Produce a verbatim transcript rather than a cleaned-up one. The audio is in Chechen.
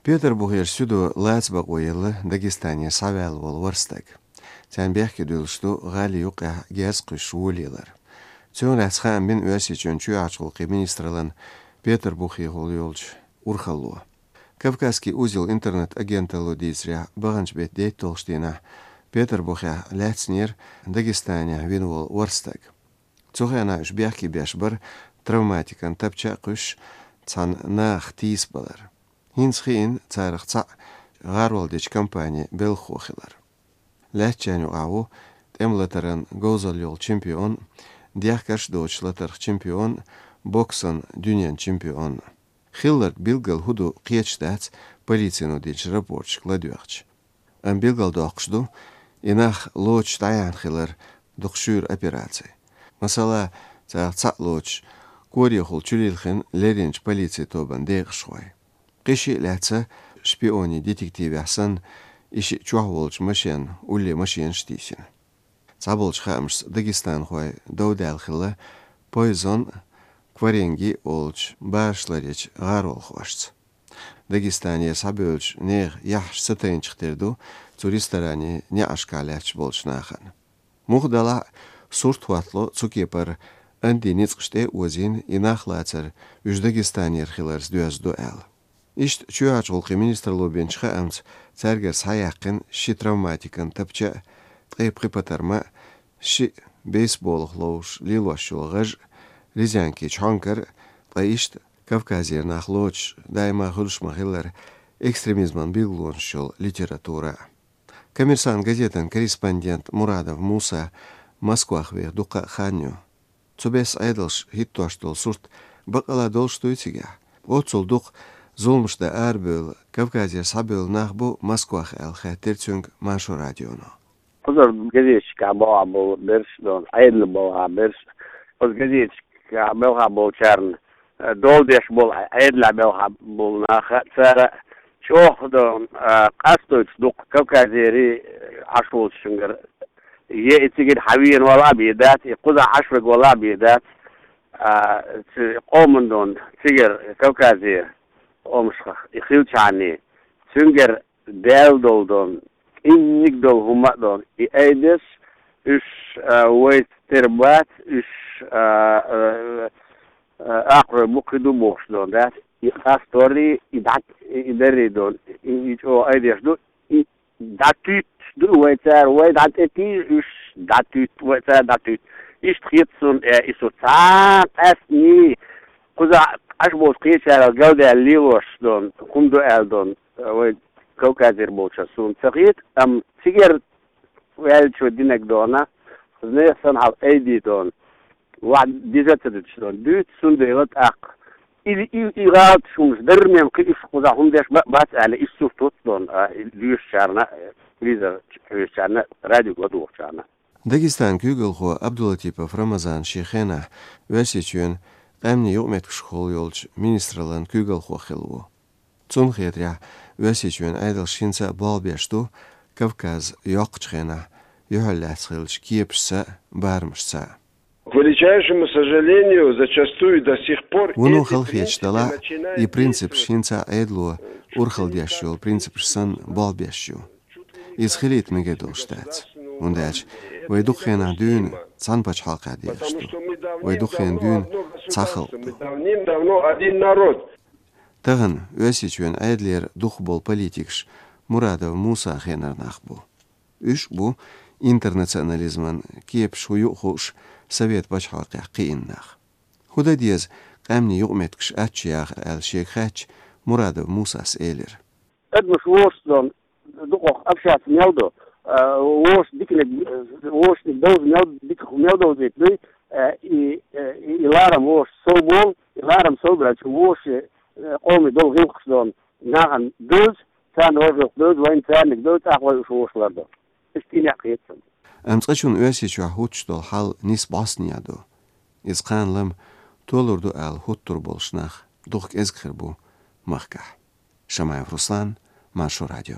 Петарбухерчу суьдо лаца бакъо елла Дагестане схьаваьлла волу ворхӀ стаг. Царна бехке дуьллуш ду гӀали юккъехь герз кхуьссуш волавалар. Цунах лаьцна хаам бина Оьрсийчоьнан чоьхьарчу гӀуллакхийн министраллан Петарбухехула йолчу урхалло. «Кавказский узел» интернет-агенталло дийцарехь, баханчу беттан дейтталгӀачу дийнахь Петарбухехь лаьцнера Дагестанехь вина волу ворхӀ стаг. Цу хенахь уьш бехке беш бара травматикан тапча а кхуьссуш, цхьана нахах тийсабалар. ХӀинца хиъна царах цхьаъ гӀарол дечу компанин белхахо хилар. Лаьцначарна юкъахь ву тӀеман латаран говзалла йолу чемпион, дехкарш а доцуш латарх чемпион, боксан дуьненан чемпион. Хилларг билггал хӀун ду кхеташ дац полицино динчу рапорташка ладоьгӀча. Амма билгалдоккхуш ду и нах лоцуш дӀаяьхьна хилар дукха шуьйра операци. Масала, царах цхьаъ лоцуш, корехула чулилхина лерринчу полицин тобанан декъашхой. Кхин шиъ лаьцна шпионийн детективехь санна, и шиъ чохь волчу машенан улле машенаш а тийсина. Цхьаболчу хаамашца дагестанхой дов даьлла хилла Пойзон, Кваренги олучу барашларъечу гӀаролхошца. Дагестане схьабевллачу нехан яххьаш ца тайначух тера ду цу ресторанан неӀаршкахь лаьтташ болчу нахана. Муха делахь а, сурт хӀоттало цу кепара Анди ницкъаш тӀе а озийна, и нах лацар уьш Дагестанера хиларца доьзна ду аьлла. Иштта чоьхьарчу гӀуллакхийн министралло бинчу хаамца, цаьргара схьаяьккхина ши травматикан тапча а, ткъе пхи патарма а, шиъ бейсболах ловзуш лелош йолу гӀаж а, резинкин чхьонкар а, ткъа иштта Кавказера нах лоцуш, даима хуьлуш ма-хиллара, экстремизман билгалонаш йолу литература а. «Коммерсант» газетан корреспондент Мурадов Муса Москвах веха дуккха а хан ю. Цу бесса Ӏедалша хӀиттош долу сурт баккъала долуш дуй цигахь? Оццул дукха зуламаш дан арабевлла, Кавказера схьабевлла нах бу Москвахь аьлла, хаьттира цуьнга Маршо радионо. Кхузара газеташкахь бохьа болу берш а, Ӏедалан бохьа берш а, оцу газеташкахь белхахь болчарна, э, дола деш болу, Ӏедалехь белхахь болу нах а, цара чӀогӀа, э, къастойтуш дукха Кавказера, э, Ӏаш волчуьнгара, е и цигара хьавеана вала а бен дац, и кхузахь Ӏаш верг вала а бен дац, а, цу къоман дон цигара Кавказера къомашкахь и хилчхьана, цуьнгара даьлла долу дон, кӀеззиг долу хӀума а дон, и айдеш, уьш, а, вайца тера бац, уьш, а, а, а, акхарой бу, кхин ду бохуш дон дац. И къасторий, и дӀа, и даррий дон, и, и чӀогӀа айдеш ду, и дӀатуьттуш ду вай цара, вай дӀа тӀетийжа, уьш дӀатуьтту, вай цара дӀатуьтту. Иштта хета суна, э, и со цхьа а къаьстний, кхузахь Ӏаш болчу кхечарал галдаьлла лелош дон, хӀума ду аьлла дон, э, вай Кавказера болчара суна ца хета, амма цигара ваьллачо динарг дона, нехан санна хьал айдий дон, ваьӀда дижа ца дуьтуш дон, дуьйцу, цундела тӀаккха и, и, и гӀалаташ хӀумаш дарра мел кхин уьш кхузахь хӀума деш ба-, бац аьлла, иштта сурт хӀутту дон, а, и лоьшучарна, телевизор хьоьжучарна, радиога ладугӀучарна. Дагестанан куьйгалхо Абдулатипов Рамазан шен хенахь Оьрсийчоьнан къаьмнийн юкъаметтигашкахула йолчу министраллан куьйгалхо хилла ву. Цунна хетарехь, Оьрсийчоьнан Ӏедалш хӀинца а болх беш ду Кавказ йоккхучу хенахь юьхьарлаьцна хиллачу кепашца а, барамашца а. К величайшему сожалению, зачастую до сих пор... Вуно эти халахеташ принципы далахь, начинают и принципаш действовать хӀинца а Ӏедало урхалла деш йолу принципаш санна болх беш ю. Иза хилийта мегар долуш дац, хӀунда аьлча вай дукха хенахь дуьйна цхьана пачхьалкхехь дехаш ду. Вай дукха хенахь дуьйна цхьа халкъ ду. Давным-давно один народ. Тахана Оьрсийчоьнан Ӏедалера дукхахболу политикаш Мурадов Мусан хенара нах бу. Уьш а бу интернационализман кепаш хӀун ю а хууш, совет пачхьалкхехь кхиъна нах. ХӀун дан деза къаьмнийн юкъаметтигаш аччу яха аьлла шега хаьттича, Мурадов Мусас элира: Адамаш вовшашца дукхах общаться мел до, а, вовшашца диканиг, вовшашца довза мел, дика мел довзийта дуй, а, и, а, и, и ларам вовшашца сов болу, и ларам сов баьлча, вовшийн, а, къоман долу гӀиллакхаш дон нахана девза, царна вай гӀиллакх девза, вайна царниг девза, тӀаккха вай уьш вовшах лардо. Иштта и некъ хета суна. Амма цкъачунна Оьрсийчохь хӀуттуш долу хьал нийса бӀостанехьа ду. Иза кхана лама толур ду аьлла хӀуттур болуш нах дукха кӀезиг хир бу махкахь. Шамаев Руслан, Маршо радио.